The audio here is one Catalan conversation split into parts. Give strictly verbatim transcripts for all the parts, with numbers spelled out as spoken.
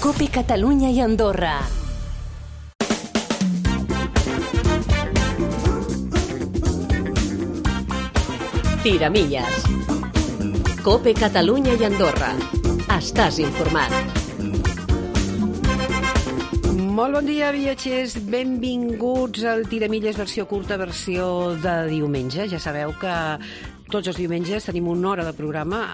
COPE Catalunya i Andorra. Tiramilles. COPE Catalunya i Andorra. Estàs informat. Molt bon dia, viatgers. Benvinguts al Tiramilles versió curta, versió de diumenge. Ja sabeu que tots els diumenges tenim una hora de programa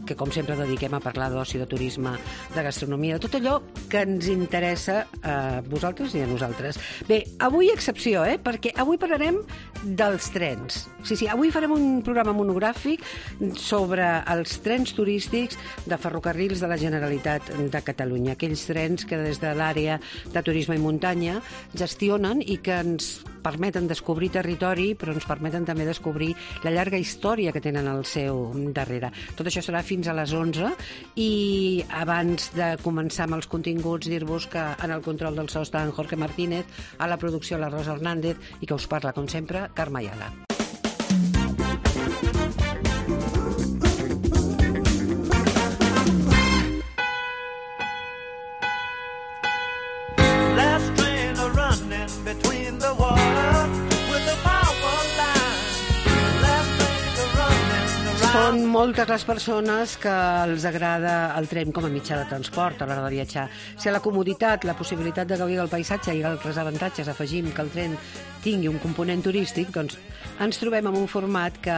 que, com sempre, dediquem a parlar d'oci, de turisme, de gastronomia, de tot allò que ens interessa a vosaltres i a nosaltres. Bé, avui excepció, eh? Perquè avui parlarem dels trens. Sí, sí, avui farem un programa monogràfic sobre els trens turístics de ferrocarrils de la Generalitat de Catalunya. Aquells trens que des de l'àrea de turisme i muntanya gestionen i que ens permeten descobrir territori, però ens permeten també descobrir la llarga història que tenen al seu darrere. Tot això serà fins a les onze i abans de començar amb els continguts dir-vos que en el control del so està en Jorge Martínez, a la producció la Rosa Hernández i que us parla, com sempre, Carme Ayala. Són moltes les persones que els agrada el tren com a mitjà de transport a l'hora de viatjar. Si a la comoditat, la possibilitat de gaudir del paisatge i altres avantatges afegim que el tren tingui un component turístic, doncs ens trobem en un format que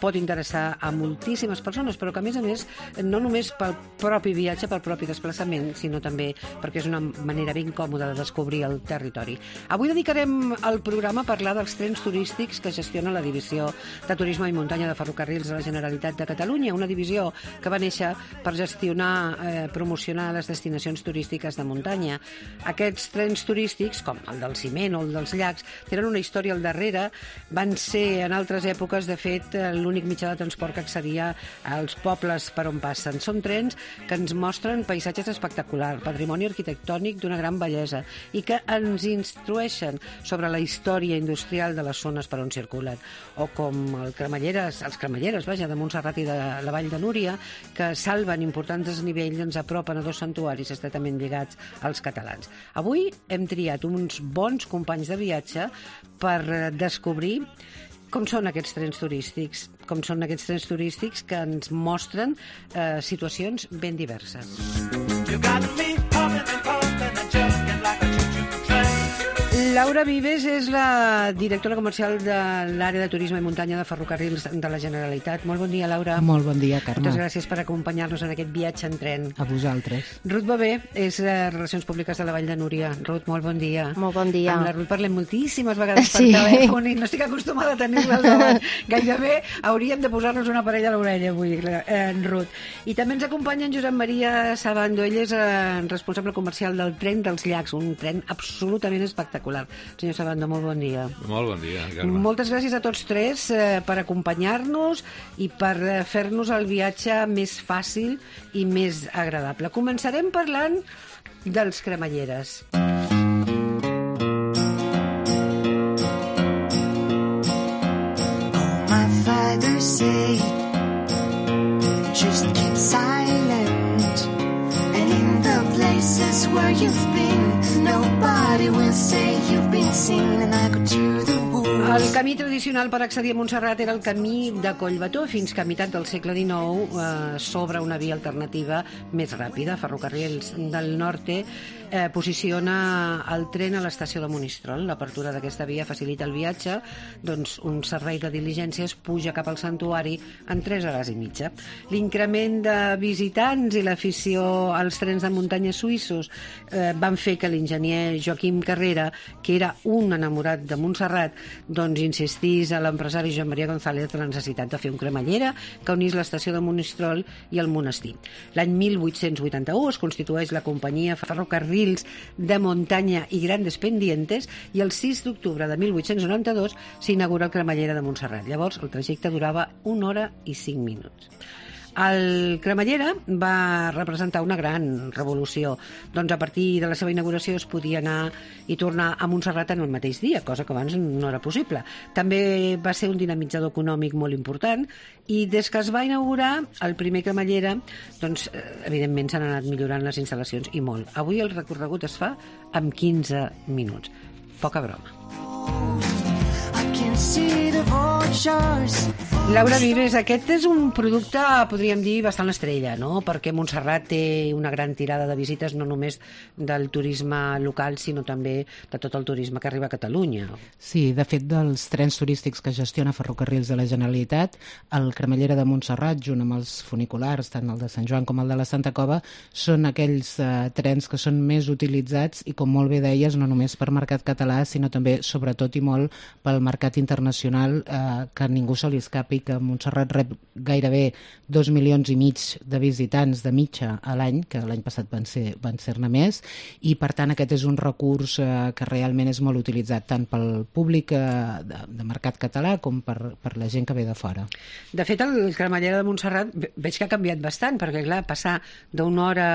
pot interessar a moltíssimes persones, però que, a més a més, no només pel propi viatge, pel propi desplaçament, sinó també perquè és una manera ben còmoda de descobrir el territori. Avui dedicarem el programa a parlar dels trens turístics que gestiona la Divisió de Turisme i Muntanya de Ferrocarrils de la Generalitat de Catalunya, una divisió que va néixer per gestionar, eh, promocionar les destinacions turístiques de muntanya. Aquests trens turístics, com el del ciment o el dels llacs, tenen una història al darrere, van ser en altres èpoques, de fet, l'únic mitjà de transport que accedia als pobles per on passen. Són trens que ens mostren paisatges espectaculars, patrimoni arquitectònic d'una gran bellesa i que ens instrueixen sobre la història industrial de les zones per on circulen. O com el Cremalleres, els Cremalleres, vaja, de Montserrat i de la Vall de Núria, que salven importants desnivells i ens apropen a dos santuaris estretament lligats als catalans. Avui hem triat uns bons companys de viatge per descobrir com són aquests trens turístics, com són aquests trens turístics que ens mostren eh, situacions ben diverses. Laura Vives és la directora comercial de l'àrea de turisme i muntanya de ferrocarrils de la Generalitat. Molt bon dia, Laura. Molt bon dia, Carme. Moltes gràcies per acompanyar-nos en aquest viatge en tren. A vosaltres. Ruth Bebé és eh, Relacions Públiques de la Vall de Núria. Ruth, molt bon dia. Molt bon dia. Amb la Ruth parlem moltíssimes vegades sí. per telèfon i no estic acostumada a tenir-la al davant. Gairebé hauríem de posar-nos una parella a l'orella avui, eh, Ruth. I també ens acompanya en Josep Maria Sabando. Ell és eh, responsable comercial del tren dels llacs, un tren absolutament espectacular. Senyor Sabando, molt bon dia. Molt bon dia, Carme. Moltes gràcies a tots tres eh, per acompanyar-nos i per eh, fer-nos el viatge més fàcil i més agradable. Començarem parlant dels Cremalleres. Oh, my father said, just keep silent, and in the places where you've been, nobody will say you've been seen, and I go to the woods. El camí tradicional per accedir a Montserrat era el camí de Collbató, fins que a meitat del segle dinou eh, s'obre una via alternativa més ràpida. Ferrocarrils del Norte eh, posiciona el tren a l'estació de Monistrol. L'apertura d'aquesta via facilita el viatge, doncs un servei de diligències puja cap al santuari en tres hores i mitja. L'increment de visitants i l'afició als trens de muntanya suïssos eh, van fer que l'enginyer Joaquim Carrera, que era un enamorat de Montserrat, doncs insistís a l'empresari Joan Maria González la necessitat de fer un cremallera que unís l'estació de Monistrol i el monestir. L'any mil vuit-cents vuitanta-u es constitueix la companyia Ferrocarrils de Muntanya i Grandes Pendientes i el sis d'octubre de mil vuit-cents noranta-dos s'inaugura el cremallera de Montserrat. Llavors el trajecte durava una hora i cinc minuts. El Cremallera va representar una gran revolució. Doncs a partir de la seva inauguració es podia anar i tornar a Montserrat en el mateix dia, cosa que abans no era possible. També va ser un dinamitzador econòmic molt important i des que es va inaugurar el primer Cremallera, doncs, evidentment s'han anat millorant les instal·lacions i molt. Avui el recorregut es fa en quinze minuts. Poca broma. Laura Vives, aquest és un producte, podríem dir, bastant estrella, no? Perquè Montserrat té una gran tirada de visites, no només del turisme local, sinó també de tot el turisme que arriba a Catalunya. Sí, de fet, dels trens turístics que gestiona Ferrocarrils de la Generalitat, el Cremallera de Montserrat, junt amb els funiculars, tant el de Sant Joan com el de la Santa Cova, són aquells eh, trens que són més utilitzats i, com molt bé deies, no només per mercat català, sinó també, sobretot i molt, pel mercat internacional, eh, que ningú se li escapi que Montserrat rep gairebé dos milions i mig de visitants de mitja a l'any, que l'any passat van ser van ser-ne més, i per tant aquest és un recurs eh, que realment és molt utilitzat tant pel públic eh, de, de mercat català com per, per la gent que ve de fora. De fet, el Cremallera de Montserrat veig que ha canviat bastant, perquè clar, passar d'una hora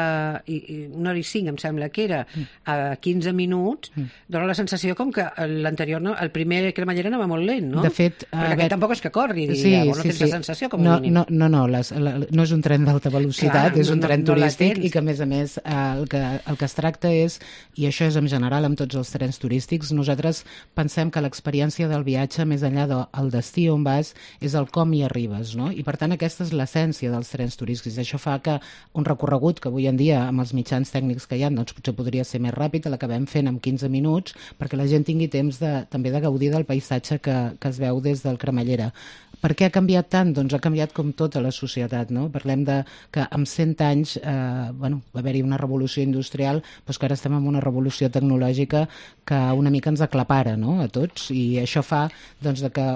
i, i una hora i cinc, em sembla que era, a quinze minuts, mm. dona la sensació com que l'anterior, no? El primer Cremallera anava molt lent, no? De fet, perquè aquest tampoc és que corri, diria, sí, no sí, tens sí. la sensació com no, a mínim. No, no, no, les, la, no és un tren d'alta velocitat, Clar, és un no, tren no, no turístic i que, a més a més, eh, el, que, el que es tracta és, i això és en general amb tots els trens turístics, nosaltres pensem que l'experiència del viatge, més enllà del destí on vas, és el com hi arribes, no? I per tant aquesta és l'essència dels trens turístics. Això fa que un recorregut que avui en dia, amb els mitjans tècnics que hi ha, doncs potser podria ser més ràpid, l'acabem fent en quinze minuts, perquè la gent tingui temps de, també de gaudir del paisatge que, que es veu des del Cremallera. Per què ha canviat tant? Doncs ha canviat com tota la societat, no? Parlem de que en cent anys eh, bueno, va haver-hi una revolució industrial, però que ara estem en una revolució tecnològica que una mica ens aclapara, no?, a tots, i això fa doncs, de que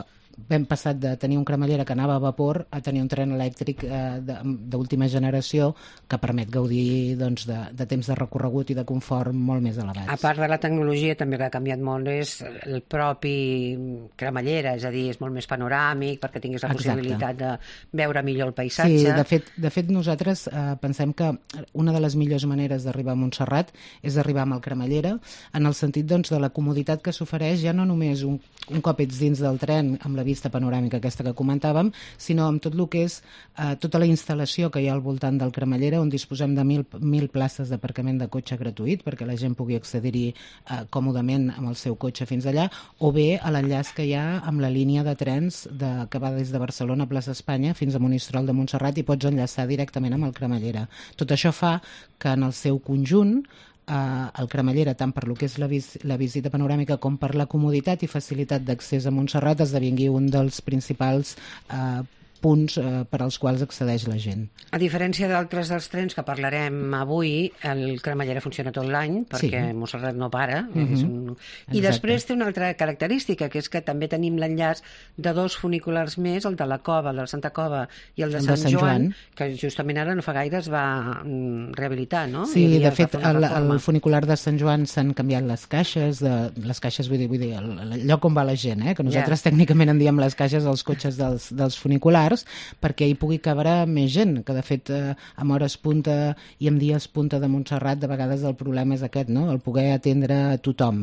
vam passat de tenir un Cremallera que anava a vapor a tenir un tren elèctric eh, d'última generació que permet gaudir doncs, de, de temps de recorregut i de confort molt més elevats. A part de la tecnologia, també que ha canviat molt és el propi Cremallera, és a dir, és molt més panoràmic perquè tinguis la Exacte. possibilitat de veure millor el paisatge. Sí, de fet, de fet nosaltres eh, pensem que una de les millors maneres d'arribar a Montserrat és arribar amb el Cremallera, en el sentit doncs, de la comoditat que s'ofereix ja no només un, un cop ets dins del tren amb la vista panoràmica aquesta que comentàvem, sinó amb tot el que és eh, tota la instal·lació que hi ha al voltant del Cremallera, on disposem de mil, mil places d'aparcament de cotxe gratuït perquè la gent pugui accedir-hi eh, còmodament amb el seu cotxe fins allà, o bé a l'enllaç que hi ha amb la línia de trens de, que va des de Barcelona a Plaça Espanya fins a Monistrol de Montserrat i pots enllaçar directament amb el Cremallera. Tot això fa que en el seu conjunt Uh, el Cremallera, tant per lo que és la, vis la visita panoràmica com per la comoditat i facilitat d'accés a Montserrat, esdevingui un dels principals uh, punts eh, per als quals accedeix la gent. A diferència d'altres dels trens que parlarem avui, el Cremallera funciona tot l'any perquè sí. Montserrat no para. Mm-hmm. És un... I després té una altra característica, que és que també tenim l'enllaç de dos funiculars més, el de la Cova, el de la Santa Cova i el de, el Sant, de Sant Joan, Joan, que justament ara no fa gaire es va mm, rehabilitar, no? Sí, de fet, el, el funicular de Sant Joan s'han canviat les caixes, de, les caixes vull dir, vull dir el, el lloc on va la gent, eh? Que nosaltres yeah. tècnicament en diem les caixes als cotxes dels, dels funiculars, perquè hi pugui cabre més gent, que de fet eh, amb hores punta i amb dies punta de Montserrat de vegades el problema és aquest, no? El poder atendre a tothom.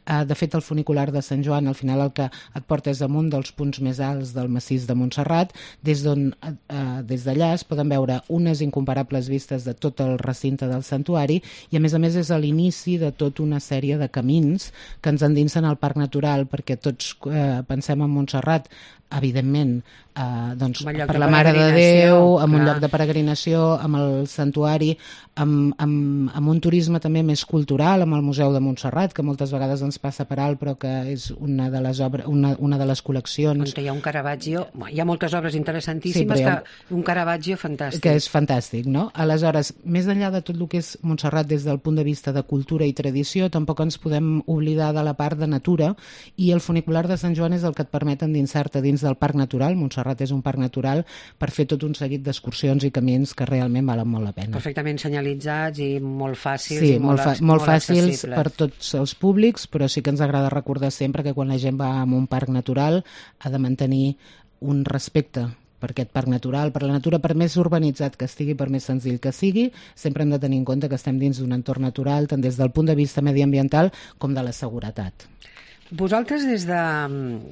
Eh, de fet, el funicular de Sant Joan al final el que et porta és amunt dels punts més alts del massís de Montserrat, des d'on eh, des d'allà es poden veure unes incomparables vistes de tot el recinte del santuari i a més a més és a l'inici de tota una sèrie de camins que ens endinsen al parc natural, perquè tots eh, pensem en Montserrat evidentment eh, doncs, per la Mare de Déu, amb clar. Un lloc de peregrinació, amb el santuari, amb, amb, amb un turisme també més cultural, amb el Museu de Montserrat, que moltes vegades ens passa per alt, però que és una de les obres, una, una de les col·leccions. On hi ha un Caravaggio, hi ha moltes obres interessantíssimes, sí, ha... que un Caravaggio fantàstic. Que és fantàstic, no? Aleshores, més enllà de tot el que és Montserrat des del punt de vista de cultura i tradició, tampoc ens podem oblidar de la part de natura, i el funicular de Sant Joan és el que et permet endinsar-te dins del parc natural. Montserrat és un parc natural per fer tot un seguit d'excursions i camins que realment valen molt la pena. Perfectament senyalitzats i molt fàcils. Sí, i molt, molt, fa molt, molt fàcils accessibles per tots els públics, però sí que ens agrada recordar sempre que quan la gent va a un parc natural ha de mantenir un respecte per aquest parc natural, per la natura, per més urbanitzat que estigui, per més senzill que sigui, sempre hem de tenir en compte que estem dins d'un entorn natural, tant des del punt de vista mediambiental com de la seguretat. Vosaltres, des de,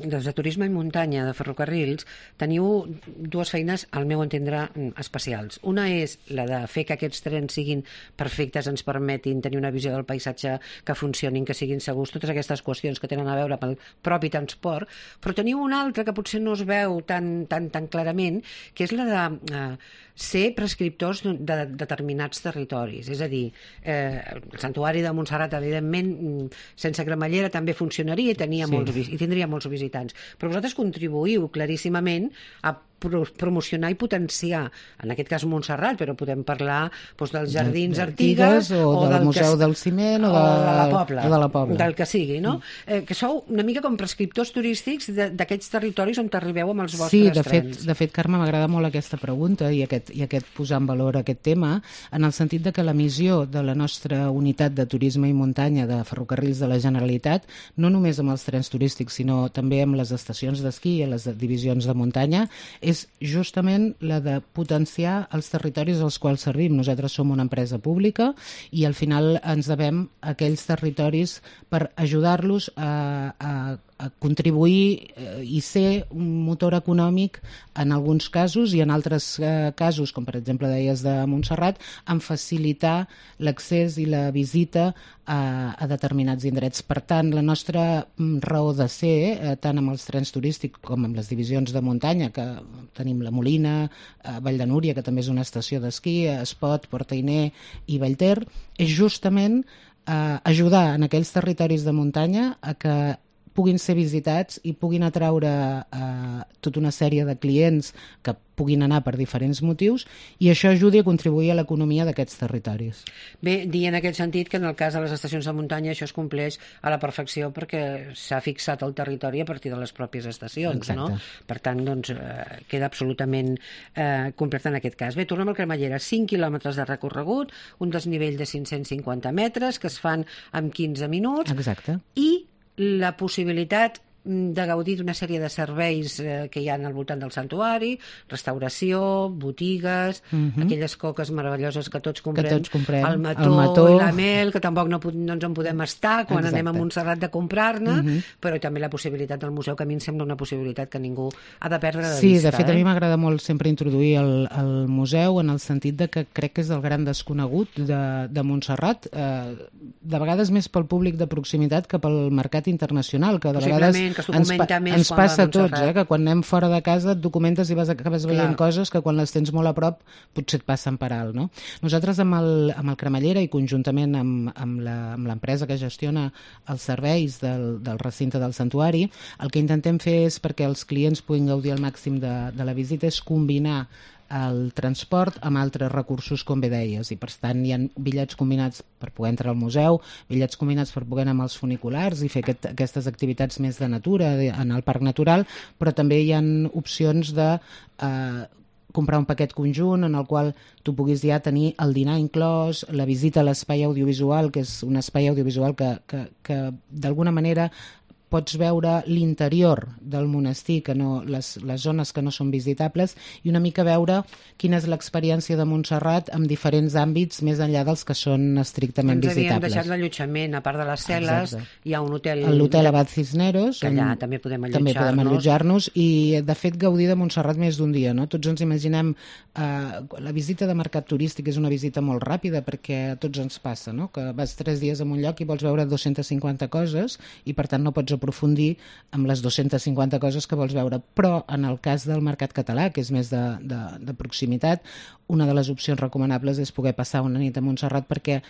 des de Turisme i Muntanya de Ferrocarrils, teniu dues feines, al meu entendre, especials. Una és la de fer que aquests trens siguin perfectes, ens permetin tenir una visió del paisatge, que funcionin, que siguin segurs, totes aquestes qüestions que tenen a veure amb el propi transport, però teniu una altra que potser no es veu tan, tan, tan clarament, que és la de eh, ser prescriptors de, de determinats territoris. És a dir, eh, el Santuari de Montserrat, evidentment, sense cremallera també funcionaria i, tenia sí. molts, i tindria molts visitants. Però vosaltres contribuïu claríssimament a promocionar i potenciar, en aquest cas Montserrat, però podem parlar doncs, dels Jardins Artigues o, o del, del Museu que, del Ciment o, o de, de la Pobla, o de la Pobla, del que sigui, no? Mm. Eh, que sou una mica com prescriptors turístics d'aquests territoris on t'arribeu amb els vostres sí, de trens. Fet, de fet, Carme, m'agrada molt aquesta pregunta i aquest, i aquest posar en valor aquest tema, en el sentit de que la missió de la nostra unitat de turisme i muntanya de Ferrocarrils de la Generalitat, no només amb els trens turístics, sinó també amb les estacions d'esquí i les divisions de muntanya, és justament la de potenciar els territoris als quals servim. Nosaltres som una empresa pública i al final ens devem a aquells territoris per ajudar-los a, a, a contribuir i ser un motor econòmic en alguns casos i en altres eh, casos, com per exemple deies de Montserrat, en facilitar l'accés i la visita a, a determinats indrets. Per tant, la nostra raó de ser, eh, tant amb els trens turístics com amb les divisions de muntanya, que tenim la Molina, eh, Vall de Núria, que també és una estació d'esquí, Espot, Portainer i Vallter, és justament eh, ajudar en aquells territoris de muntanya a que puguin ser visitats i puguin atraure eh, tota una sèrie de clients que puguin anar per diferents motius i això ajudi a contribuir a l'economia d'aquests territoris. Bé, dir en aquest sentit que en el cas de les estacions de muntanya això es compleix a la perfecció perquè s'ha fixat el territori a partir de les pròpies estacions. Exacte. No? Per tant, doncs, eh, queda absolutament eh, complet en aquest cas. Bé, tornem al Cremallera. cinc quilòmetres de recorregut, un desnivell de cinc-cents cinquanta metres que es fan en quinze minuts. Exacte. I la possibilitat de gaudir d'una sèrie de serveis eh, que hi ha al voltant del santuari, restauració, botigues, uh-huh. aquelles coques meravelloses que tots comprem, que tots comprem. El, mató el mató i la mel, que tampoc no, no ens en podem estar quan Exacte. anem a Montserrat de comprar-ne, uh-huh. però també la possibilitat del museu, que a mi em sembla una possibilitat que ningú ha de perdre de sí, vista. Sí, de fet eh? a mi m'agrada molt sempre introduir el, el museu en el sentit de que crec que és el gran desconegut de, de Montserrat, eh, de vegades més pel públic de proximitat que pel mercat internacional, que de vegades que ens, pa ens passa a tots, eh, que quan anem fora de casa et documentes i vas, acabes veient Clar. coses que quan les tens molt a prop potser et passen per alt, no? Nosaltres amb el, amb el Cremallera i conjuntament amb, amb l'empresa que gestiona els serveis del, del recinte del santuari, el que intentem fer és, perquè els clients puguin gaudir al màxim de, de la visita, és combinar el transport amb altres recursos, com bé deies, i per tant hi ha bitllets combinats per poder entrar al museu, bitllets combinats per poder anar amb els funiculars i fer aquest, aquestes activitats més de natura en el parc natural, però també hi ha opcions de eh, comprar un paquet conjunt en el qual tu puguis ja tenir el dinar inclòs, la visita a l'espai audiovisual, que és un espai audiovisual que, que, que d'alguna manera pots veure l'interior del monestir, que no, les, les zones que no són visitables, i una mica veure quina és l'experiència de Montserrat en diferents àmbits més enllà dels que són estrictament Ens visitables. Ens havíem deixat l'allotjament, a part de les cel·les, Exacte. hi ha un hotel... L'hotel Abad Cisneros, que allà també podem allotjar-nos. També podem allotjar-nos i, de fet, gaudir de Montserrat més d'un dia, no? Tots ens imaginem... Eh, la visita de mercat turístic és una visita molt ràpida, perquè a tots ens passa, no? Que vas tres dies en un lloc i vols veure dues-centes cinquanta coses i, per tant, no pots aprofundir amb les dues-centes cinquanta coses que vols veure. Però en el cas del mercat català, que és més de, de, de proximitat, una de les opcions recomanables és poder passar una nit a Montserrat, perquè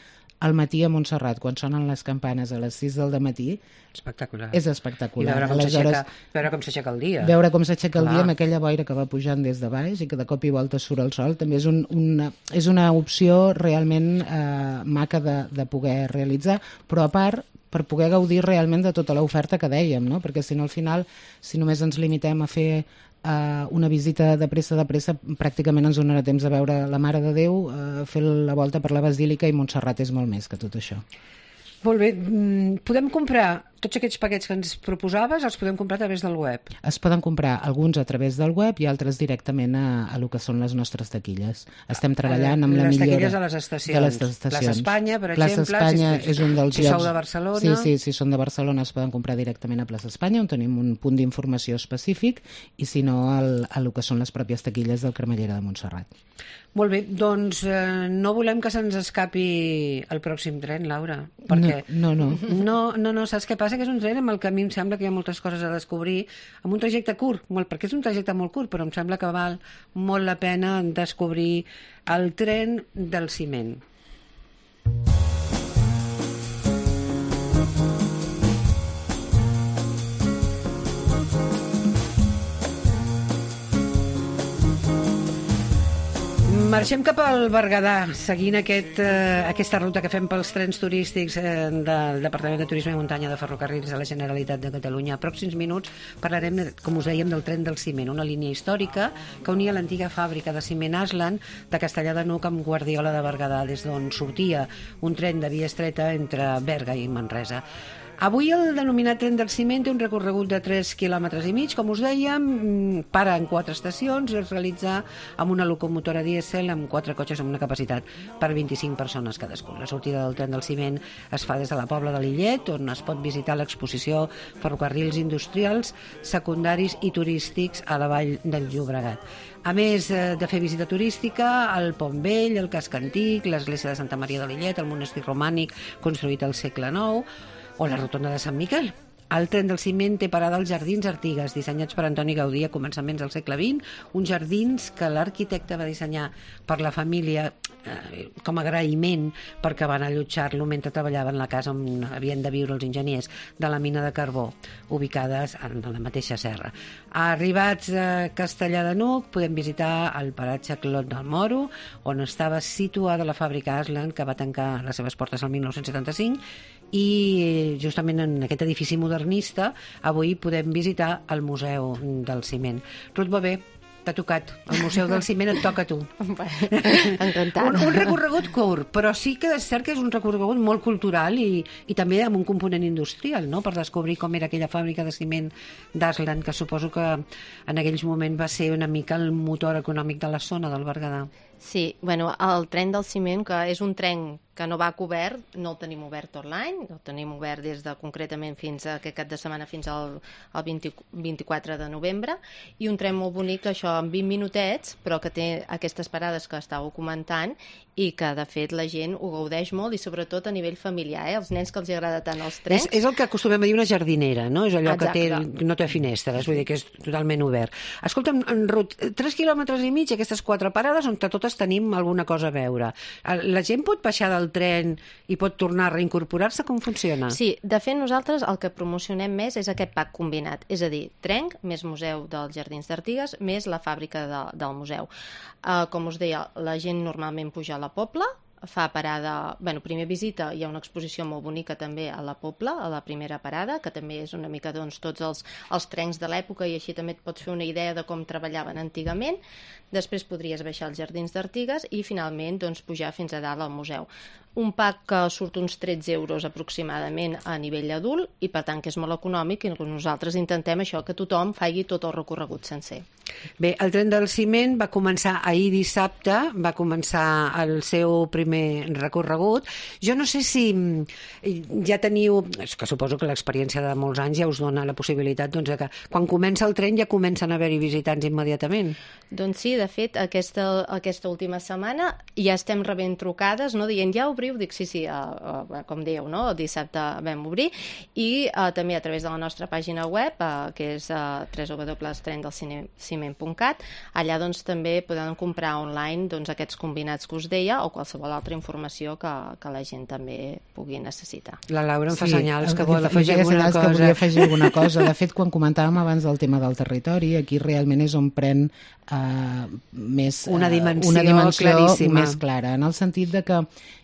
al matí a Montserrat, quan sonen les campanes a les sis del dematí, espectacular. És espectacular. I veure com s'aixeca veure com s'aixeca el dia. Veure com s'aixeca el dia amb aquella boira que va pujant des de baix i que de cop i volta surt el sol, també és, un, una, és una opció realment eh, maca de, de poder realitzar, però a part per poder gaudir realment de tota l'oferta que dèiem, no? Perquè si no al final, si només ens limitem a fer Uh, una visita de pressa de pressa, pràcticament ens donarà temps de veure la Mare de Déu, uh, fer la volta per la Basílica, i Montserrat és molt més que tot això. Molt bé, podem comprar tots aquests paquets que ens proposaves els podem comprar a través del web? Es poden comprar alguns a través del web i altres directament a, a lo que són les nostres taquilles. Estem treballant amb la les millora... Les taquilles a les estacions. De les estacions. Plaça Espanya, per Plaça exemple. Espanya si, és un dels si llocs... sou de Barcelona... Sí, sí, si són de Barcelona es poden comprar directament a Plaça Espanya, on tenim un punt d'informació específic, i si no, al, a lo que són les pròpies taquilles del Cremallera de Montserrat. Molt bé, doncs eh, no volem que se'ns escapi el pròxim tren, Laura, perquè... No, no, no. No, no, no, saps què passa? Que és un tren amb el que a mi em sembla que hi ha moltes coses a descobrir, amb un trajecte curt, molt, perquè és un trajecte molt curt, però em sembla que val molt la pena descobrir el tren del ciment. Marxem cap al Berguedà, seguint aquest, eh, aquesta ruta que fem pels trens turístics eh, del Departament de Turisme i Muntanya de Ferrocarrils de la Generalitat de Catalunya. A pròxims minuts parlarem, com us dèiem, del tren del ciment, una línia històrica que unia l'antiga fàbrica de ciment Aslan de Castellar de N'Hug amb Guardiola de Berguedà, des d'on sortia un tren de via estreta entre Berga i Manresa. Avui el denominat tren del ciment té un recorregut de tres quilòmetres i mig, com us dèiem, para en quatre estacions i es realitza amb una locomotora dièsel amb quatre cotxes amb una capacitat per vint-i-cinc persones cadascun. La sortida del tren del ciment es fa des de la Pobla de Lillet, on es pot visitar l'exposició Ferrocarrils Industrials, Secundaris i Turístics a la Vall del Llobregat. A més de fer visita turística, el Pont Vell, el Casc Antic, l'església de Santa Maria de Lillet, el monestir romànic construït al segle nou, o la rotonda de Sant Miquel. El tren del ciment té parada als Jardins Artigues, dissenyats per Antoni Gaudí a començaments del segle vint, uns jardins que l'arquitecte va dissenyar per la família eh, com a agraïment perquè van allotjar-lo mentre treballaven la casa on havien de viure els enginyers de la mina de carbó, ubicades en la mateixa serra. Arribats a Castellar de N'Hug, podem visitar el paratge Clot del Moro, on estava situada la fàbrica Aslan, que va tancar les seves portes el mil nou-cents setanta-cinc, i justament en aquest edifici modernista avui podem visitar el Museu del Ciment. Ruth Bové, t'ha tocat. El Museu del Ciment et toca a tu. Encantat. Un, un recorregut curt, però sí que és cert que és un recorregut molt cultural i, i també amb un component industrial, no?, per descobrir com era aquella fàbrica de ciment d'Aslan, que suposo que en aquells moments va ser una mica el motor econòmic de la zona del Berguedà. Sí, bueno, el tren del ciment, que és un tren que no va cobert, no el tenim obert tot l'any, el tenim obert des de concretament fins a aquest cap de setmana fins al, al vint, vint-i-quatre de novembre, i un tren molt bonic, això en vint minutets, però que té aquestes parades que estàveu comentant i que de fet la gent ho gaudeix molt i sobretot a nivell familiar, eh? Els nens que els agrada tant els trens. És, és el que acostumem a dir una jardinera, no? És allò Exacte. que té, no té finestres, vull dir que és totalment obert. Escolta'm, en Ruth, tres quilòmetres i mig, aquestes quatre parades on totes tenim alguna cosa a veure. La gent pot baixar del tren i pot tornar a reincorporar-se? Com funciona? Sí, de fet nosaltres el que promocionem més és aquest pack combinat, és a dir, tren més Museu dels Jardins d'Artigues més la fàbrica de, del museu. Uh, com us deia, la gent normalment puja a la Pobla, fa parada, bueno, primer visita, hi ha una exposició molt bonica també a la Pobla, a la primera parada, que també és una mica doncs, tots els, els trens de l'època i així també et pots fer una idea de com treballaven antigament. Després podries baixar als Jardins d'Artigues i finalment doncs, pujar fins a dalt al museu. Un pack que surt uns tretze euros aproximadament a nivell adult i per tant que és molt econòmic i nosaltres intentem això, que tothom faci tot el recorregut sencer. Bé, el tren del ciment va començar ahir dissabte, va començar el seu primer recorregut. Jo no sé si ja teniu, és que suposo que l'experiència de molts anys ja us dona la possibilitat doncs, que quan comença el tren ja comencen a haver-hi visitants immediatament. Doncs sí, de fet, aquesta, aquesta última setmana ja estem rebent trucades, no? Dient ja obriu, dic sí, sí, uh, uh, com dieu, no? El dissabte vam obrir i uh, també a través de la nostra pàgina web, uh, que és uh, w w w punt tren del ciment punt cat, allà doncs també podem comprar online doncs, aquests combinats que us deia o qualsevol altra informació que, que la gent també pugui necessitar. La Laura em fa Sí, senyals que vol em afegir feia alguna senyals cosa. Que volia afegir alguna cosa. De fet, quan comentàvem abans del tema del territori, aquí realment és on pren uh, més, Una dimensió uh, una dimensió claríssima. més clara, en el sentit de que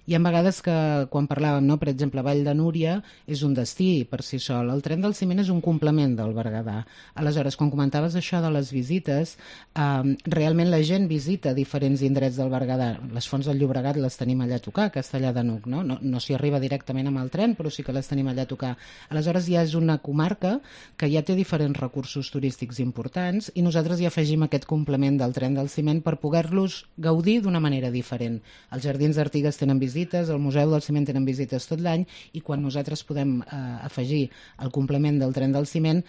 Hi ha vegades que, quan parlàvem, no? Per exemple, Vall de Núria és un destí per si sol. El tren del ciment és un complement del Berguedà. Aleshores, quan comentaves això de les visites, eh, realment la gent visita diferents indrets del Berguedà. Les fonts del Llobregat les tenim allà a tocar, a Castellar de N'Hug, no? No, no s'hi arriba directament amb el tren, però sí que les tenim allà a tocar. Aleshores, ja és una comarca que ja té diferents recursos turístics importants i nosaltres hi afegim aquest complement del tren del ciment per poder-los gaudir d'una manera diferent. Els Jardins d'Artigues tenen visites, el Museu del Ciment tenen visites tot l'any i quan nosaltres podem eh, afegir el complement del tren del ciment,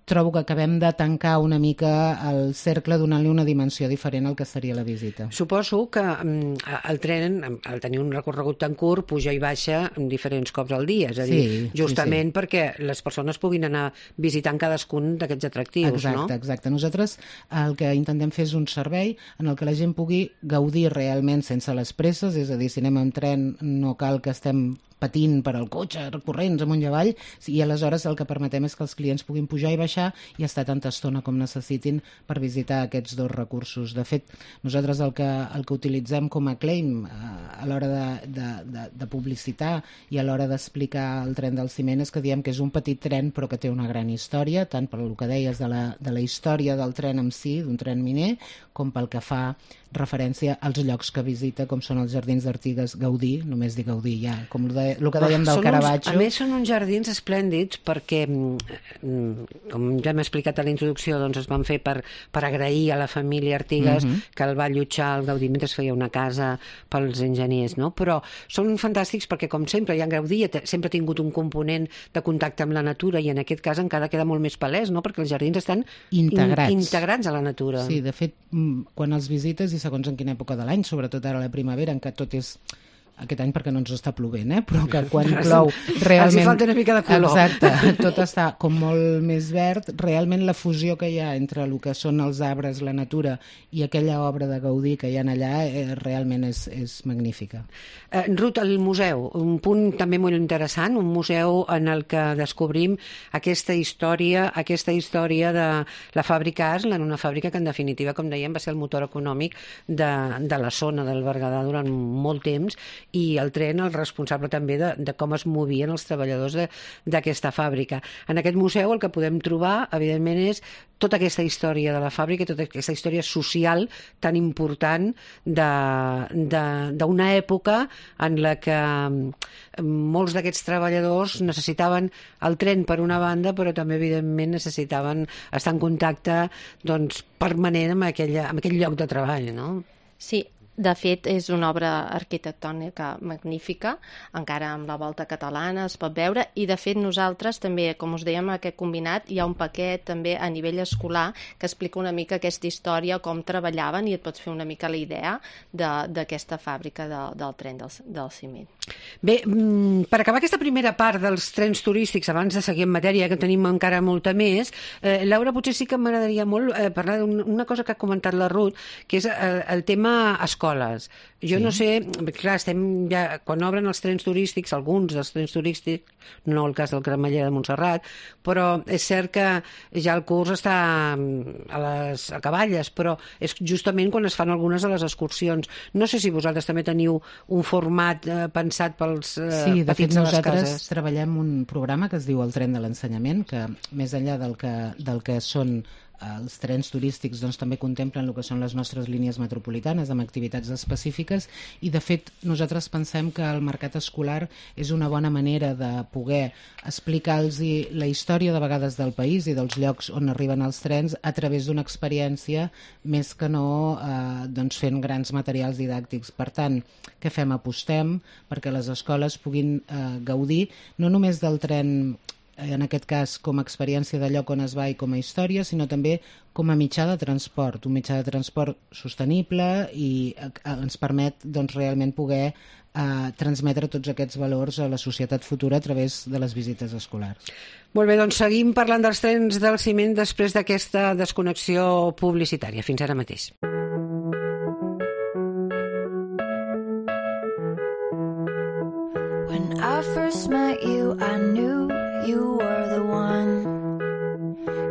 trobo que acabem de tancar una mica el cercle donant-li una dimensió diferent al que seria la visita. Suposo que um, el tren, al tenir un recorregut tan curt, puja i baixa diferents cops al dia, és a dir, sí, justament sí, sí. perquè les persones puguin anar visitant cadascun d'aquests atractius, exacte, no? Exacte, exacte. Nosaltres el que intentem fer és un servei en el que la gent pugui gaudir realment sense les presses, és a dir, si anem en tren no cal que estem patint per al cotxe, corrents amunt i avall, i aleshores el que permetem és que els clients puguin pujar i baixar i estar tanta estona com necessitin per visitar aquests dos recursos. De fet, nosaltres el que, el que utilitzem com a claim eh, a l'hora de, de, de, de publicitar i a l'hora d'explicar el tren del ciment és que diem que és un petit tren però que té una gran història, tant per el que deies de la, de la història del tren en si, d'un tren miner, com pel que fa referència als llocs que visita, com són els Jardins d'Artigues, gaudir, només dir gaudir ja, com el, de, el que dèiem del Caravaggio. A més, són uns jardins esplèndids perquè, com ja hem explicat a la introducció, doncs es van fer per, per agrair a la família Artigues mm -hmm. que el va allotjar al Gaudí mentre feia una casa pels enginyers, no? Però són fantàstics perquè, com sempre, ja en Gaudí sempre ha tingut un component de contacte amb la natura i en aquest cas encara queda molt més palès, no? Perquè els jardins estan integrats, in, integrats a la natura. Sí, de fet, quan els visites i segons en quina època de l'any, sobretot ara a la primavera, en què tot és aquest any perquè no ens està plovent, eh? Però que quan plou realment... Els falta una mica de color. Exacte, tot està com molt més verd. Realment la fusió que hi ha entre el que són els arbres, la natura i aquella obra de Gaudí que hi ha allà eh, realment és, és magnífica. Eh, Ruth, el museu, un punt també molt interessant, un museu en el que descobrim aquesta història, aquesta història de la fàbrica Aslan, una fàbrica que en definitiva, com dèiem, va ser el motor econòmic de, de la zona del Berguedà durant molt temps i el tren el responsable també de, de com es movien els treballadors d'aquesta fàbrica. En aquest museu el que podem trobar, evidentment, és tota aquesta història de la fàbrica, tota aquesta història social tan important d'una època en la que molts d'aquests treballadors necessitaven el tren per una banda, però també, evidentment, necessitaven estar en contacte doncs, permanent amb, aquella, amb aquell lloc de treball, no? Sí. De fet, és una obra arquitectònica magnífica, encara amb la volta catalana es pot veure, i de fet nosaltres també, com us dèiem, aquest combinat, hi ha un paquet també a nivell escolar que explica una mica aquesta història, com treballaven, i et pots fer una mica la idea d'aquesta fàbrica de, del tren del, del ciment. Bé, per acabar aquesta primera part dels trens turístics, abans de seguir en matèria, que tenim encara molta més, eh, Laura, potser sí que m'agradaria molt eh, parlar d'una cosa que ha comentat la Ruth, que és el, el tema escola. Jo sí. no sé, clar, estem ja, quan obren els trens turístics, alguns dels trens turístics, no el cas del Cremallera de Montserrat, però és cert que ja el curs està a les acaballes, però és justament quan es fan algunes de les excursions. No sé si vosaltres també teniu un format eh, pensat pels eh, sí, de petits fet, de les nosaltres cases. Treballem un programa que es diu el Tren de l'Ensenyament, que més enllà del que, del que són els trens turístics, doncs, també contemplen el que són les nostres línies metropolitanes amb activitats específiques i de fet nosaltres pensem que el mercat escolar és una bona manera de poder explicar-los la història de vegades del país i dels llocs on arriben els trens a través d'una experiència més que no eh, doncs fent grans materials didàctics. Per tant, què fem? Apostem perquè les escoles puguin eh, gaudir no només del tren en aquest cas com a experiència de lloc on es va i com a història, sinó també com a mitjà de transport, un mitjà de transport sostenible i ens permet doncs, realment poder eh, transmetre tots aquests valors a la societat futura a través de les visites escolars. Molt bé, doncs seguim parlant dels trens del ciment després d'aquesta desconnexió publicitària. Fins ara mateix. When I first met you, I knew you were the one.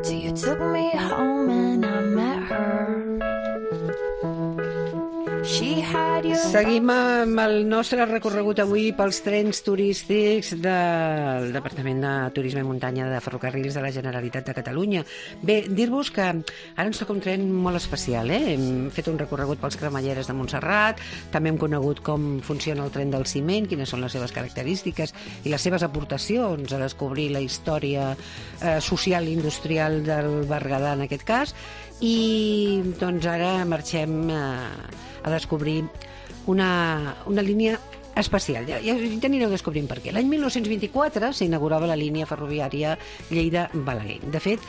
Till you took me home and I met her. She had your Seguim amb el nostre recorregut avui pels trens turístics del Departament de Turisme i Muntanya de Ferrocarrils de la Generalitat de Catalunya. Bé, dir-vos que ara ens toca un tren molt especial, eh? Hem fet un recorregut pels cremalleres de Montserrat, també hem conegut com funciona el tren del ciment, quines són les seves característiques i les seves aportacions a descobrir la història eh, social i industrial del Berguedà en aquest cas, i doncs ara marxem a, a descobrir una, una línia especial. Ja, ja t'anireu descobrint per què. L'any mil nou-cents vint-i-quatre s'inaugurava la línia ferroviària Lleida-Balaguer. De fet,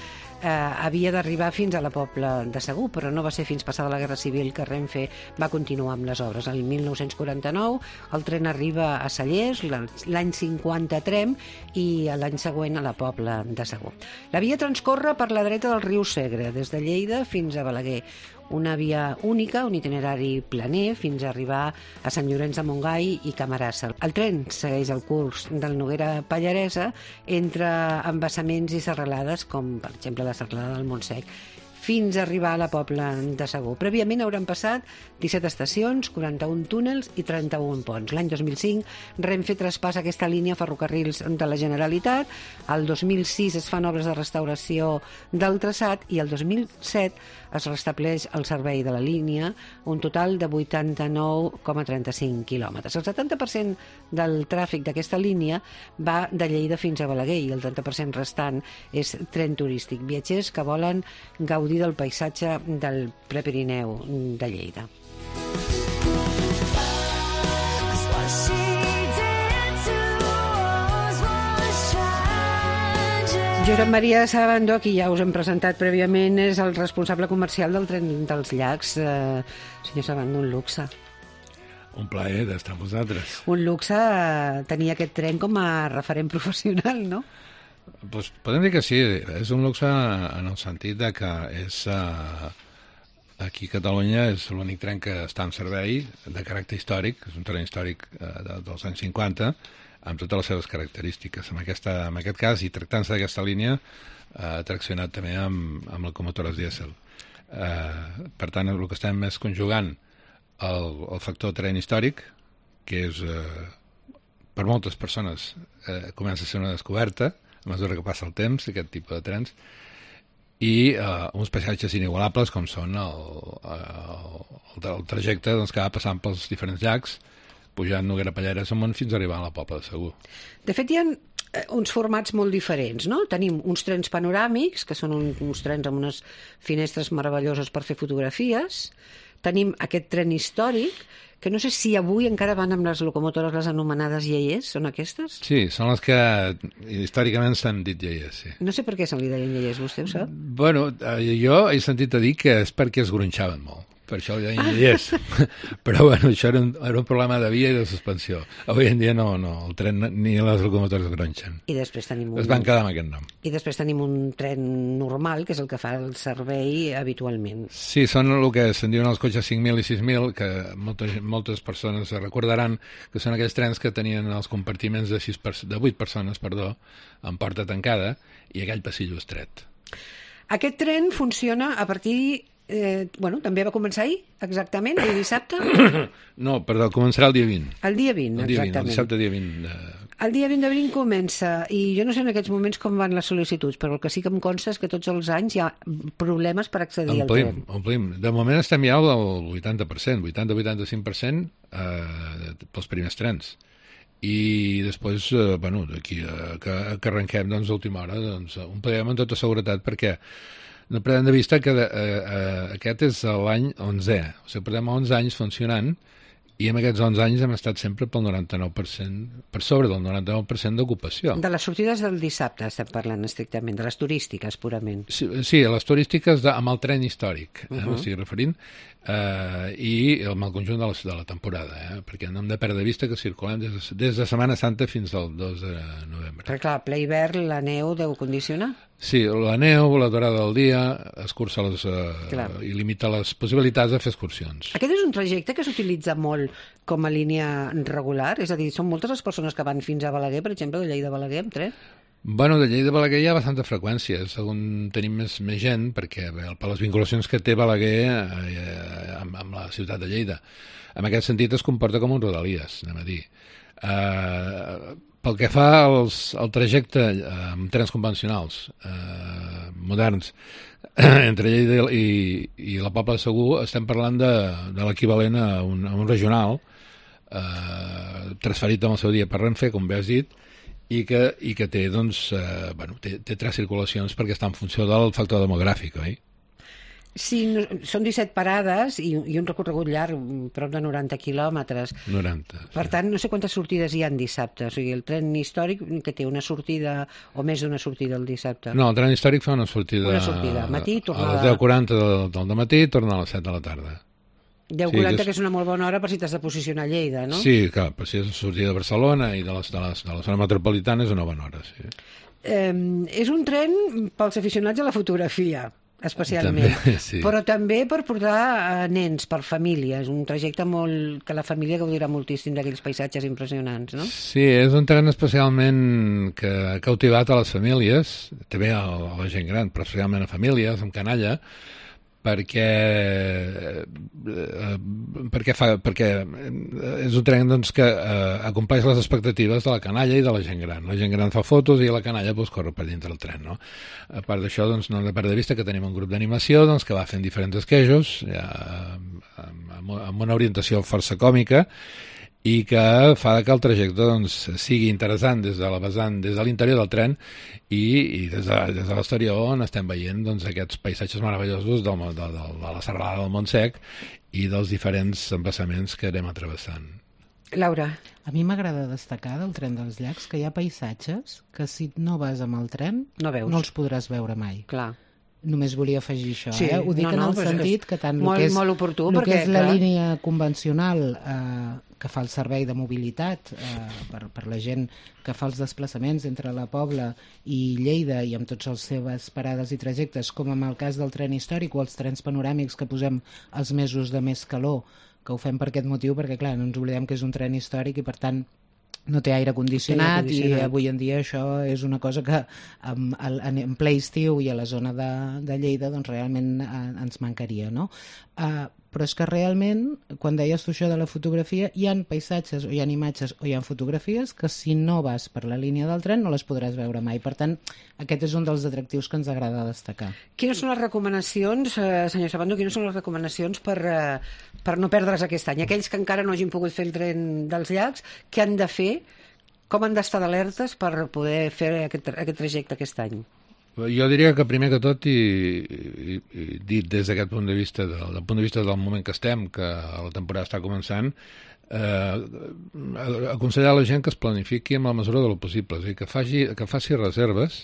eh, havia d'arribar fins a la Pobla de Segur, però no va ser fins passada la Guerra Civil que Renfe va continuar amb les obres. El mil nou-cents quaranta-nou el tren arriba a Cellers, l'any cinquanta a Tremp i l'any següent a la Pobla de Segur. La via transcorre per la dreta del riu Segre, des de Lleida fins a Balaguer. Una via única, un itinerari planer, fins a arribar a Sant Llorenç de Montgai i Camarasa. El tren segueix el curs del Noguera Pallaresa entre embassaments i serralades, com per exemple la serralada del Montsec, fins a arribar a la Pobla de Segur. Prèviament hauran passat disset estacions, quaranta-un túnels i trenta-un ponts. L'any dos mil cinc Renfe traspassa aquesta línia a Ferrocarrils de la Generalitat, el dos mil sis es fan obres de restauració del traçat i el dos mil set es restableix el servei de la línia, un total de vuitanta-nou coma trenta-cinc quilòmetres. El setanta per cent del tràfic d'aquesta línia va de Lleida fins a Balaguer i el trenta per cent restant és tren turístic, viatgers que volen gaudir del paisatge del Prepirineu de Lleida. Josep Maria Sabandó, qui ja us hem presentat prèviament, és el responsable comercial del tren dels llacs. Eh, senyor Sabandó, un luxe. Un plaer d'estar amb vosaltres. Un luxe eh, tenir aquest tren com a referent professional, no? Pues podem dir que sí, és un luxe en el sentit de que és, uh, aquí a Catalunya és l'únic tren que està en servei de caràcter històric, és un tren històric uh, de, dels anys cinquanta, amb totes les seves característiques. En, aquesta, en aquest cas, i tractant-se d'aquesta línia, uh, traccionat també amb, amb locomotores dièsel. Uh, per tant, el que estem és conjugant el, el factor tren històric, que és, uh, per moltes persones, uh, comença a ser una descoberta, a mesura que passa el temps, aquest tipus de trens, i uh, uns paisatges inigualables com són el, el, el, el trajecte doncs, que va passant pels diferents llacs, pujant Noguera Pallaresa amunt fins a arribar a la Pobla de Segur. De fet, hi ha uns formats molt diferents, no? Tenim uns trens panoràmics, que són un, uns trens amb unes finestres meravelloses per fer fotografies. Tenim aquest tren històric, que no sé si avui encara van amb les locomotores, les anomenades iaiers, són aquestes? Sí, són les que històricament s'han dit iaiers, sí. No sé per què se li deien iaiers, vostè ho sap? Bueno, jo he sentit a dir que és perquè es gronxaven molt. Per això li deien iaiers. Però bueno, això era un, era un problema de via i de suspensió. Avui en dia no, no, el tren ni les locomotores gronxen. I després tenim un... Es van quedar amb aquest nom. I després tenim un tren normal, que és el que fa el servei habitualment. Sí, són el que se'n diuen els cotxes cinc mil i sis mil, que moltes, moltes persones recordaran que són aquells trens que tenien els compartiments de, sis per, de vuit persones, perdó, amb porta tancada i aquell passillo estret. Aquest tren funciona a partir... Eh, bueno, també va començar ahir, exactament, el dissabte? No, perdó, començarà el dia vint. El dia vint, el dia exactament. vint, el dissabte dia vint. De... El dia vint d'abril comença, i jo no sé en aquests moments com van les sol·licituds, però el que sí que em consta és que tots els anys hi ha problemes per accedir omplim, al tren. Omplim. De moment estem ja al vuitanta per cent, vuitanta a vuitanta-cinc per cent eh, pels primers trens. I després, eh, bueno, d'aquí a que, que arrenquem, doncs, a última hora, doncs, un plegem amb tota seguretat, perquè no perdem de vista que de, eh, eh, aquest és l'any onzè, o sigui, portem onze anys funcionant i en aquests onze anys hem estat sempre pel noranta-nou per cent, per sobre del noranta-nou per cent d'ocupació. De les sortides del dissabte estem parlant estrictament, de les turístiques purament. Sí, sí, les turístiques de, amb el tren històric, eh, uh -huh. m'estic referint, eh, i amb el conjunt de la, de la temporada, eh, perquè no hem de perdre de vista que circulem des de, des de Setmana Santa fins al dos de novembre. Però clar, ple hivern, la neu deu condicionar? Sí, la neu, la durada del dia, escurça les, eh, i limita les possibilitats de fer excursions. Aquest és un trajecte que s'utilitza molt com a línia regular? És a dir, són moltes les persones que van fins a Balaguer, per exemple, de Lleida a Balaguer, amb tren? Bueno, de Lleida a Balaguer hi ha bastanta freqüència, és on tenim més, més gent, perquè bé, per les vinculacions que té Balaguer eh, amb, amb la ciutat de Lleida. En aquest sentit es comporta com un Rodalies, anem a dir. Eh, pel que fa als, al trajecte eh, amb trens convencionals eh, moderns entre Lleida i, i la Pobla de Segur, estem parlant de, de l'equivalent a, un, a un regional eh, transferit en el seu dia per Renfe, com bé has dit, i que, i que té, doncs, eh, bueno, té, té tres circulacions perquè està en funció del factor demogràfic, oi? Sí, no, són disset parades i, i un recorregut llarg, prop de noranta quilòmetres. noranta. Per sí. tant, no sé quantes sortides hi ha en dissabte. O sigui, el tren històric que té una sortida o més d'una sortida el dissabte. No, el tren històric fa una sortida... Una sortida, matí, tornada... A les deu quaranta del, del matí i torna a les set de la tarda. deu quaranta, sí, que és una molt bona hora per si t'has de posicionar a Lleida, no? Sí, clar, per si és sortida de Barcelona i de, les, de, les, de la zona metropolitana és una bona hora, sí. Eh, és un tren pels aficionats a la fotografia, especialment. També, sí. Però també per portar eh, nens, per família. És un trajecte molt que la família gaudirà moltíssim d'aquells paisatges impressionants, no? Sí, és un tren especialment que ha cautivat a les famílies, també a la gent gran, però especialment a famílies, amb canalla, perquè eh, perquè, fa, perquè és un tren, doncs, que eh, acompleix les expectatives de la canalla i de la gent gran. La gent gran fa fotos i la canalla, doncs, corre per dintre del tren, no? A part d'això, doncs, no hem de perdre de vista que tenim un grup d'animació, doncs, que va fent diferents esquejos ja, amb, amb una orientació força còmica i que fa que el trajecte, doncs, sigui interessant des de la vessant, des de l'interior del tren i, i des de, des de l'exterior on estem veient, doncs, aquests paisatges meravellosos del, de, de, de la serralada del Montsec i dels diferents embassaments que anem travessant. Laura. A mi m'agrada destacar del tren dels llacs que hi ha paisatges que si no vas amb el tren no, veus. no els podràs veure mai. Clar. Només volia afegir això, sí, eh? Ho dic no, en no, el sentit que tant molt, el que és, molt oportú, el perquè, que és la clar, línia convencional eh, que fa el servei de mobilitat eh, per, per la gent que fa els desplaçaments entre la Pobla i Lleida i amb tots els seves parades i trajectes, com en el cas del tren històric o els trens panoràmics que posem els mesos de més calor, que ho fem per aquest motiu, perquè clar, no ens oblidem que és un tren històric i per tant no té aire condicionat, aire condicionat i avui en dia això és una cosa que en, en, en ple estiu i a la zona de, de Lleida doncs realment eh, ens mancaria, no? Uh, però és que realment, quan deies tu això de la fotografia, hi ha paisatges o hi ha imatges o hi ha fotografies que si no vas per la línia del tren no les podràs veure mai. Per tant, aquest és un dels atractius que ens agrada destacar. Quines són les recomanacions, eh, senyor Sabando, quines són les recomanacions per, eh, per no perdre's aquest any? Aquells que encara no hagin pogut fer el tren dels llacs, què han de fer? Com han d'estar d'alertes per poder fer aquest, aquest trajecte aquest any? Jo diria que primer que tot, i, i, i dit des d'aquest punt de vista, del, del punt de vista del moment que estem, que la temporada està començant, eh, aconsellar a la gent que es planifiqui amb la mesura de lo possible, és a dir, que faci, que faci reserves.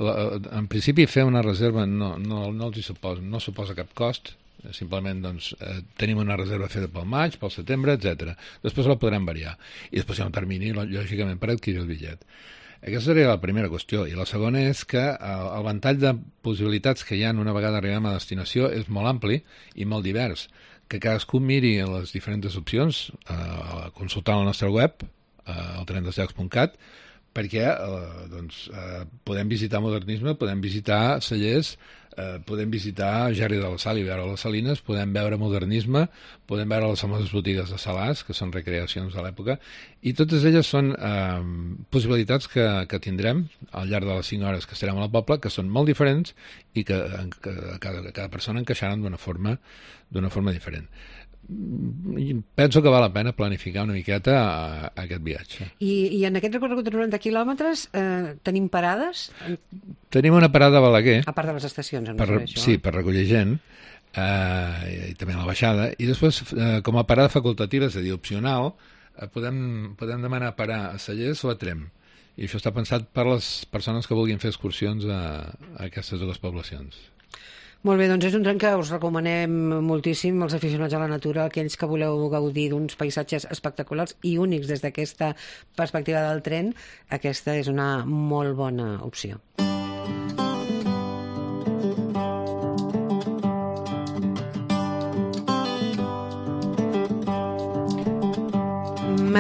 La, en principi fer una reserva no, no, no els hi suposa, no suposa cap cost, simplement doncs, eh, tenim una reserva feta pel maig, pel setembre, etcètera. Després la podrem variar i després hi ha un termini, lògicament, per adquirir el bitllet. Aquesta seria la primera qüestió. I la segona és que el ventall de possibilitats que hi ha una vegada arribem a destinació és molt ampli i molt divers. Que cadascú miri les diferents opcions, eh, consultant el nostre web, eh, el tren dels llacs punt cat, perquè eh, doncs, eh, podem visitar Modernisme, podem visitar Cellers, eh, podem visitar Gerri de la Sal i veure les Salines, podem veure Modernisme, podem veure les famoses botigues de Salàs, que són recreacions de l'època, i totes elles són eh, possibilitats que, que tindrem al llarg de les cinc hores que estarem a la Pobla, que són molt diferents i que, que cada, cada persona encaixaran d'una forma, d'una forma diferent. Penso que val la pena planificar una miqueta a, a aquest viatge. I, i en aquest recorregut de noranta quilòmetres eh, tenim parades? Tenim una parada a Balaguer. A part de les estacions, em per, això. Sí, per recollir gent, eh, i també a la baixada. I després, eh, com a parada facultativa, és a dir, opcional, eh, podem, podem demanar parar a Cellers o a Tremp. I això està pensat per les persones que vulguin fer excursions a, a aquestes dues poblacions. Molt bé, doncs és un tren que us recomanem moltíssim als aficionats a la natura, aquells que voleu gaudir d'uns paisatges espectaculars i únics des d'aquesta perspectiva del tren, aquesta és una molt bona opció.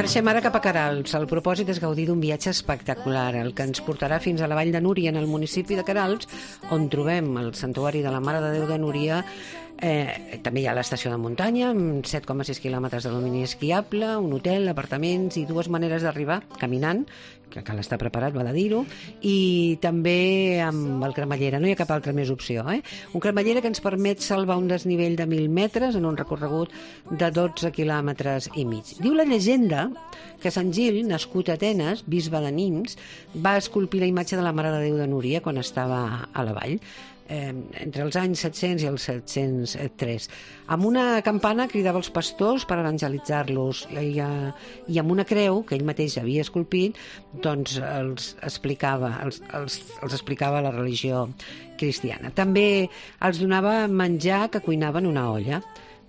Marxem ara cap a Queralbs. El propòsit és gaudir d'un viatge espectacular, el que ens portarà fins a la Vall de Núria, en el municipi de Queralbs, on trobem el santuari de la Mare de Déu de Núria. Eh, també hi ha l'estació de muntanya, amb set coma sis quilòmetres de domini esquiable, un hotel, apartaments i dues maneres d'arribar, caminant, que cal estar preparat, va de dir-ho, i també amb el cremallera. No hi ha cap altra més opció. Eh? Un cremallera que ens permet salvar un desnivell de mil metres en un recorregut de dotze quilòmetres i mig. Diu la llegenda que Sant Gil, nascut a Atenes, bisbe de Nimes, va esculpir la imatge de la Mare de Déu de Núria quan estava a la vall. Eh, entre els anys set-cents i els set-cents tres. Amb una campana cridava els pastors per evangelitzar-los i, eh, i amb una creu que ell mateix havia esculpit, doncs els explicava, els, els, els explicava la religió cristiana. També els donava menjar que cuinava en una olla.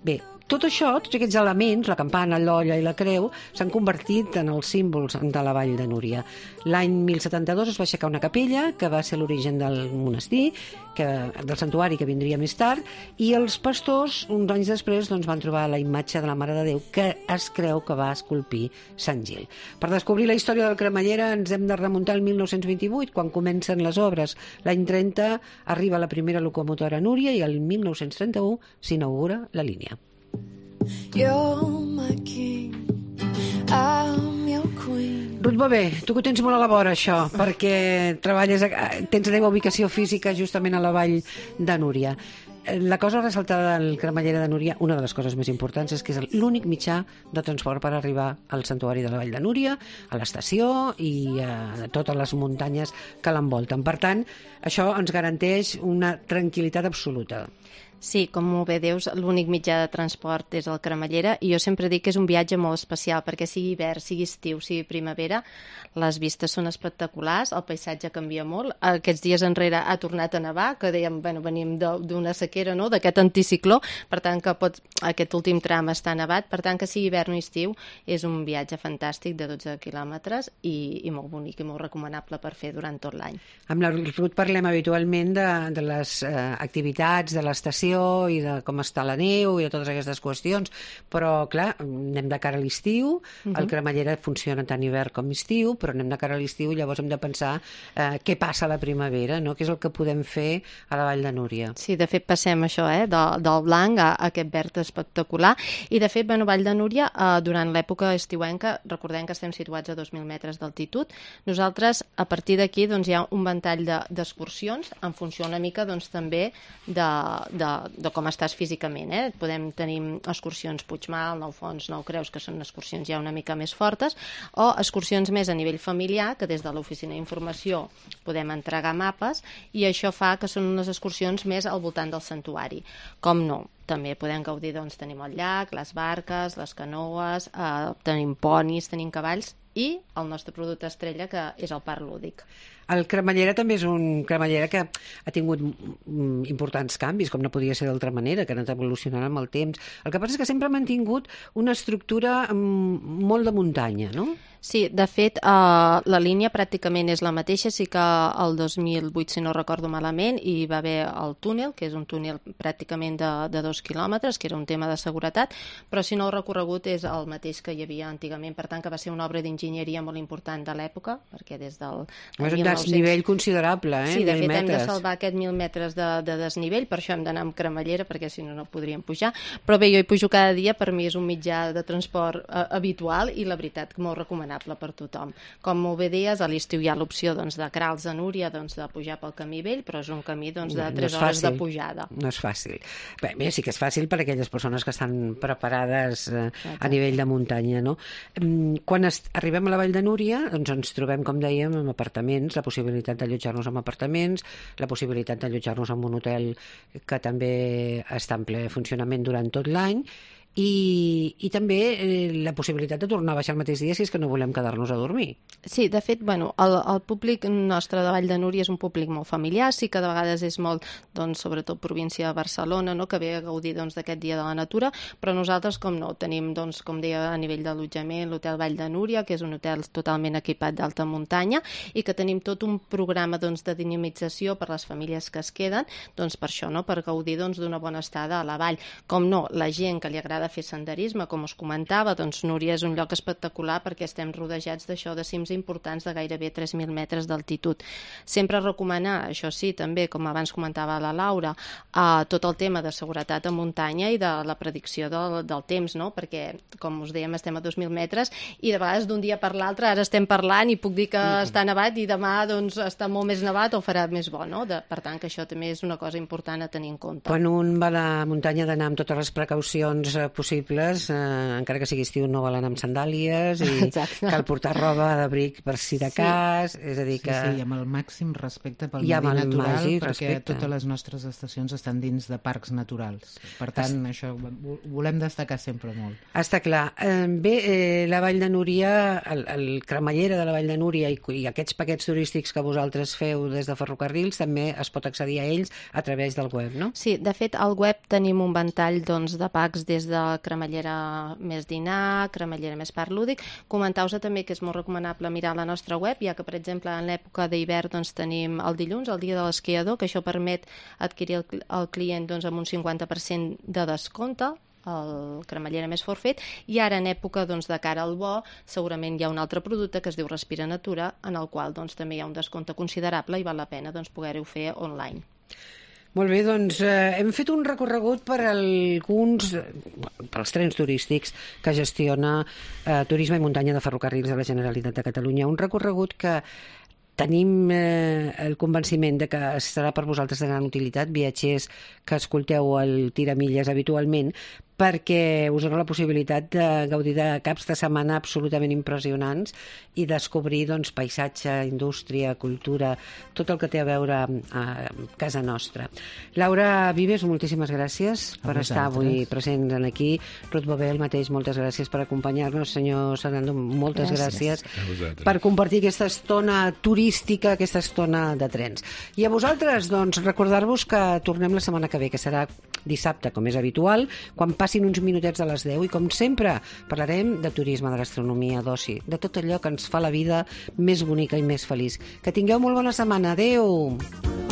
Bé, tot això, tots aquests elements, la campana, l'olla i la creu, s'han convertit en els símbols de la Vall de Núria. L'any mil setanta-dos es va aixecar una capella, que va ser l'origen del monestir, que, del santuari que vindria més tard, i els pastors, uns anys després, doncs, van trobar la imatge de la Mare de Déu, que es creu que va esculpir Sant Gil. Per descobrir la història del cremallera ens hem de remuntar al mil nou-cents vint-i-vuit, quan comencen les obres. L'any trenta arriba la primera locomotora a Núria i el mil nou-cents trenta-u s'inaugura la línia. You're my king, I'm your queen. Ruth Bové, tu que ho tens molt a la vora, això, perquè treballes, a, tens la teva ubicació física justament a la Vall de Núria. La cosa ressaltada del cremallera de Núria, una de les coses més importants, és que és l'únic mitjà de transport per arribar al santuari de la Vall de Núria, a l'estació i a totes les muntanyes que l'envolten. Per tant, això ens garanteix una tranquil·litat absoluta. Sí, com molt bé dius, l'únic mitjà de transport és el cremallera i jo sempre dic que és un viatge molt especial perquè sigui hivern, sigui estiu, sigui primavera, les vistes són espectaculars, el paisatge canvia molt. Aquests dies enrere ha tornat a nevar, que dèiem, bueno, venim d'una sequera, no?, d'aquest anticicló, per tant que pot, aquest últim tram està nevat, per tant que sigui hivern o estiu és un viatge fantàstic de dotze quilòmetres i, i molt bonic i molt recomanable per fer durant tot l'any. Amb la Ruth parlem habitualment de, de les eh, activitats de l'estació i de com està la neu i de totes aquestes qüestions, però clar, anem de cara a l'estiu, uh-huh. El cremallera funciona tant hivern com estiu, però anem de cara a l'estiu i llavors hem de pensar eh, què passa a la primavera, no? Què és el que podem fer a la Vall de Núria. Sí, de fet passem això, eh, de, del blanc a, a aquest verd espectacular, i de fet, bueno, Vall de Núria, eh, durant l'època estiuenca, recordem que estem situats a dos mil metres d'altitud, nosaltres a partir d'aquí doncs, hi ha un ventall d'excursions de, en funció una mica doncs, també de, de de com estàs físicament, eh? Podem tenir excursions Puigmal, Nou Fons, Nou Creus, que són excursions ja una mica més fortes, o excursions més a nivell familiar, que des de l'oficina d'informació podem entregar mapes, i això fa que són unes excursions més al voltant del santuari. Com no? També podem gaudir, doncs, tenim el llac, les barques, les canoes, eh, tenim ponis, tenim cavalls, i el nostre producte estrella, que és el parc lúdic. El cremallera també és un cremallera que ha tingut importants canvis, com no podia ser d'altra manera, que ha anat evolucionant amb el temps. El que passa és que sempre ha mantingut una estructura molt de muntanya, no? Sí, de fet, eh, la línia pràcticament és la mateixa, sí que el dos mil vuit, si no recordo malament, hi va haver el túnel, que és un túnel pràcticament de, de dos quilòmetres, que era un tema de seguretat, però si no el recorregut és el mateix que hi havia antigament, per tant que va ser una obra d'enginyeria molt important de l'època, perquè des del... És un desnivell considerable, eh? Sí, de fet metres. Hem de salvar aquest mil metres de, de desnivell, per això hem d'anar amb cremallera, perquè si no no podríem pujar, però bé, jo hi pujo cada dia, per mi és un mitjà de transport eh, habitual i la veritat que molt recomanable per tothom. Com molt bé deies, a l'estiu hi ha l'opció doncs, de Queralbs a Núria, doncs, de pujar pel camí vell, però és un camí doncs, de tres no hores de pujada. No és fàcil. Bé, bé, sí que és fàcil per a aquelles persones que estan preparades eh, a nivell de muntanya, no? Quan arribem a la Vall de Núria, doncs ens trobem, com dèiem, amb apartaments, la possibilitat d'allotjar-nos en apartaments, la possibilitat d'allotjar-nos en un hotel que també està en ple funcionament durant tot l'any, i, i també eh, la possibilitat de tornar a baixar el mateix dia si és que no volem quedar-nos a dormir. Sí, de fet, bueno, el, el públic nostre de Vall de Núria és un públic molt familiar, sí que de vegades és molt, doncs, sobretot província de Barcelona, no?, que ve a gaudir doncs, d'aquest dia de la natura, però nosaltres, com no, tenim, doncs, com deia, a nivell d'allotjament, l'hotel Vall de Núria, que és un hotel totalment equipat d'alta muntanya, i que tenim tot un programa doncs, de dinamització per les famílies que es queden, doncs per això, no?, per gaudir doncs, d'una bona estada a la vall. Com no, la gent que li agrada agrada fer senderisme, com us comentava, doncs Núria és un lloc espectacular perquè estem rodejats d'això, de cims importants de gairebé tres mil metres d'altitud. Sempre recomanar, això sí, també, com abans comentava la Laura, uh, tot el tema de seguretat a muntanya i de la predicció del, del temps, no? Perquè, com us dèiem, estem a dos mil metres i de vegades d'un dia per l'altre ara estem parlant i puc dir que mm. està nevat i demà doncs, està molt més nevat o farà més bo, no? De, per tant, que això també és una cosa important a tenir en compte. Quan un va a la muntanya d'anar amb totes les precaucions eh, possibles, eh, encara que sigui estiu no val anar amb sandàlies i Exacte. Cal portar roba d'abric per si de cas, sí. és a dir que... Sí, sí, i amb el màxim respecte pel medi natural, màgic, perquè respecte. Totes les nostres estacions estan dins de parcs naturals. Per tant, Est... això ho volem destacar sempre molt. Està clar. Eh, bé, eh, la Vall de Núria, el, el cremallera de la Vall de Núria i, i aquests paquets turístics que vosaltres feu des de ferrocarrils també es pot accedir a ells a través del web, no? Sí, de fet, al web tenim un ventall doncs, de packs des de cremallera més dinar, cremallera més parc lúdic. Comentau-vos també que és molt recomanable mirar la nostra web, ja que, per exemple, en l'època d'hivern doncs, tenim el dilluns, el dia de l'esquiador, que això permet adquirir el, el client doncs, amb un cinquanta per cent de descompte, el cremallera més forfet, i ara en època doncs, de cara al bo segurament hi ha un altre producte que es diu Respira Natura, en el qual doncs, també hi ha un descompte considerable i val la pena doncs, poder-ho fer online. Molt bé, doncs eh, hem fet un recorregut per alguns, per als trens turístics que gestiona eh, Turisme i Muntanya de Ferrocarrils de la Generalitat de Catalunya. Un recorregut que tenim eh, el convenciment de que serà per vosaltres de gran utilitat, viatgers que escolteu el Tiramilles habitualment, perquè us dona la possibilitat de gaudir de caps de setmana absolutament impressionants i descobrir doncs, paisatge, indústria, cultura, tot el que té a veure a casa nostra. Laura Vives, moltíssimes gràcies a per vosaltres. Estar avui present aquí. Ruth Bové, el mateix, moltes gràcies per acompanyar-nos. Senyor Serrano, moltes gràcies, gràcies per compartir aquesta estona turística, aquesta estona de trens. I a vosaltres, doncs, recordar-vos que tornem la setmana que ve, que serà dissabte, com és habitual, quan passin uns minutets a les deu i, com sempre, parlarem de turisme, de gastronomia, d'oci, de tot allò que ens fa la vida més bonica i més feliç. Que tingueu molt bona setmana. Adéu!